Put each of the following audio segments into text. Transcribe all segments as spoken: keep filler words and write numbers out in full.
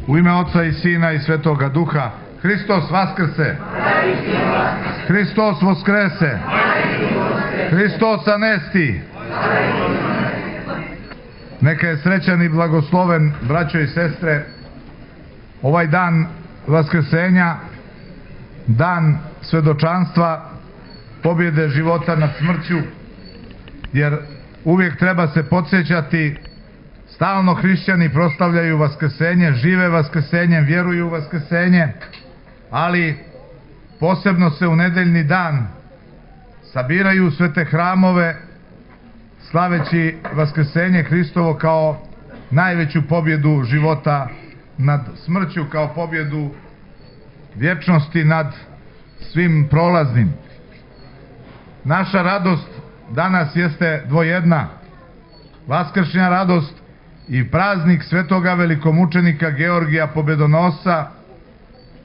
U ime Oca i Sina i Svetoga Duha. Hristos vaskrse! Hristos voskrese! Hristos anesti! Neka je srećan i blagosloven, braćo i sestre, ovaj dan vaskrsenja, dan svedočanstva, pobjede života nad smrću, jer uvijek treba se podsjećati, stalno hrišćani proslavljaju vaskrsenje, žive vaskrsenjem, vjeruju u vaskrsenje, ali posebno se u nedeljni dan sabiraju sve te hramove, slaveći vaskrsenje Hristovo kao najveću pobjedu života nad smrću, kao pobjedu vječnosti nad svim prolaznim. Naša radost danas jeste dvojedna. Vaskršnja radost i praznik svetoga velikomučenika Georgija Pobjedonosca,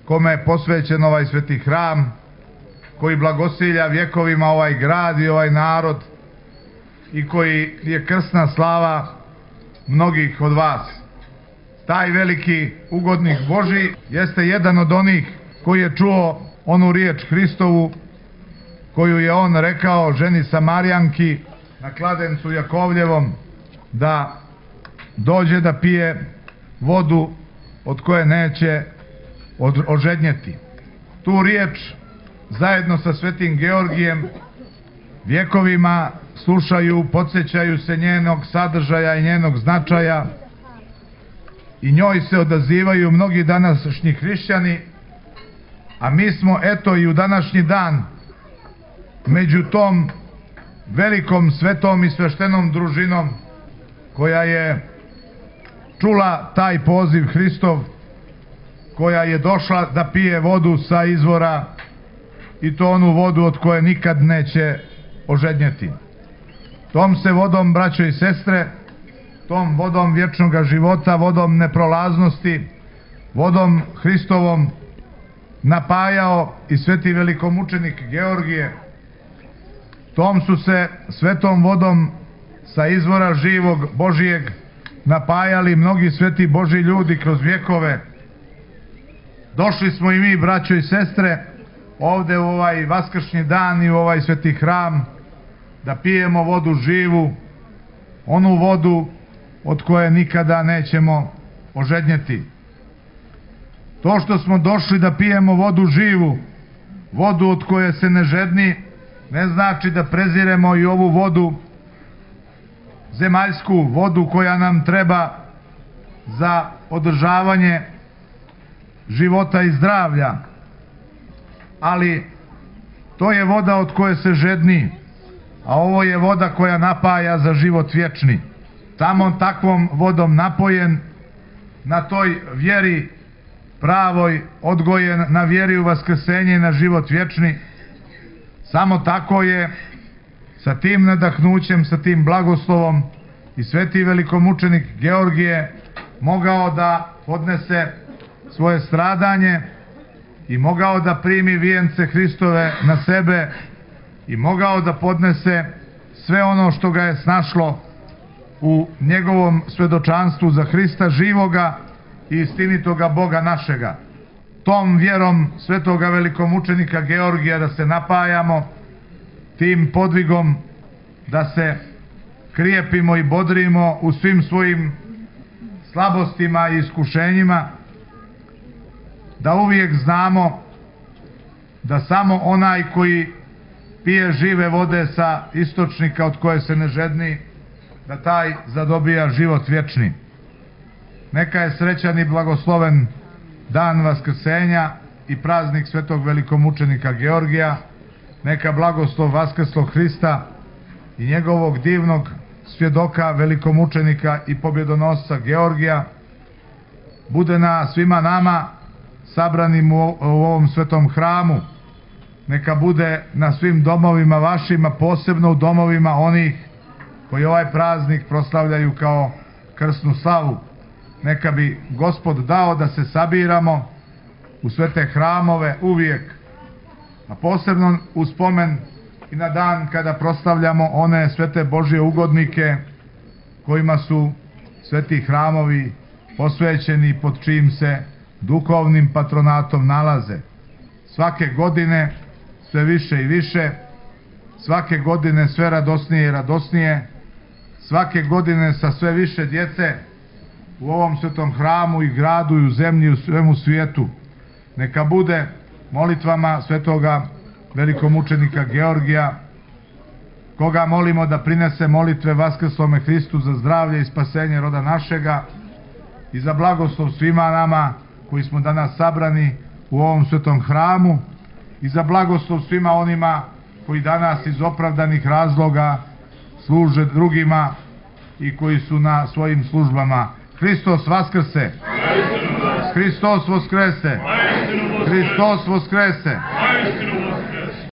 kome je posvećen ovaj sveti hram, koji blagosilja vjekovima ovaj grad i ovaj narod i koji je krsna slava mnogih od vas. Taj veliki ugodnik Božji jeste jedan od onih koji je čuo onu riječ Hristovu koju je on rekao ženi Samarijanki na kladencu Jakovljevom, da dođe da pije vodu od koje neće ožednjeti. Tu riječ zajedno sa svetim Georgijem vjekovima slušaju, podsjećaju se njenog sadržaja i njenog značaja i njoj se odazivaju mnogi današnji hrišćani, a mi smo eto i u današnji dan među tom velikom svetom i sveštenom družinom koja je čula taj poziv Hristov, koja je došla da pije vodu sa izvora i to onu vodu od koje nikad neće ožednjeti. Tom se vodom, braćo i sestre, tom vodom vječnog života, vodom neprolaznosti, vodom Hristovom napajao i sveti velikomučenik Georgije. Tom su se svetom vodom sa izvora živog Božijeg napajali mnogi sveti Božji ljudi kroz vjekove. Došli smo i mi, braćo i sestre, ovde u ovaj vaskršnji dan i u ovaj sveti hram da pijemo vodu živu, onu vodu od koje nikada nećemo ožednjeti. To što smo došli da pijemo vodu živu, vodu od koje se ne žedni, ne znači da preziremo i ovu vodu zemaljsku, vodu koja nam treba za održavanje života i zdravlja, ali to je voda od koje se žedni, a ovo je voda koja napaja za život vječni. Tamo takvom vodom napojen, na toj vjeri pravoj, odgojen na vjeri u vaskrsenje i na život vječni, samo tako je sa tim nadahnućem, sa tim blagoslovom i sveti velikomučenik Georgije mogao da podnese svoje stradanje i mogao da primi vijence Hristove na sebe i mogao da podnese sve ono što ga je snašlo u njegovom svedočanstvu za Hrista živoga i istinitoga Boga našega. Tom vjerom svetoga velikomučenika Georgija da se napajamo, tim podvigom da se krijepimo i bodrimo u svim svojim slabostima i iskušenjima, da uvijek znamo da samo onaj koji pije žive vode sa istočnika od koje se ne žedni, da taj zadobija život vječni. Neka je srećan i blagosloven dan vaskrsenja i praznik svetog velikomučenika Georgija. Neka blagoslov vaskrslog Hrista i njegovog divnog svjedoka velikomučenika i pobjedonosca Georgija bude na svima nama sabranim u ovom svetom hramu. Neka bude na svim domovima vašima, posebno u domovima onih koji ovaj praznik proslavljaju kao krsnu slavu. Neka bi Gospod dao da se sabiramo u sve te hramove uvijek, a posebno u spomen i na dan kada proslavljamo one svete Božje ugodnike kojima su sveti hramovi posvećeni pod čijim se duhovnim patronatom nalaze. Svake godine sve više i više, svake godine sve radosnije i radosnije, svake godine sa sve više djece u ovom svetom hramu i gradu i u zemlji i u svemu svijetu. Neka bude molitvama svetoga velikomučenika Georgija, koga molimo da prinese molitve vaskrslome Hristu za zdravlje i spasenje roda našega i za blagoslov svima nama koji smo danas sabrani u ovom svetom hramu i za blagoslov svima onima koji danas iz opravdanih razloga služe drugima i koji su na svojim službama. Hristos vaskrse! Hristos voskrese! Hristos voskrese!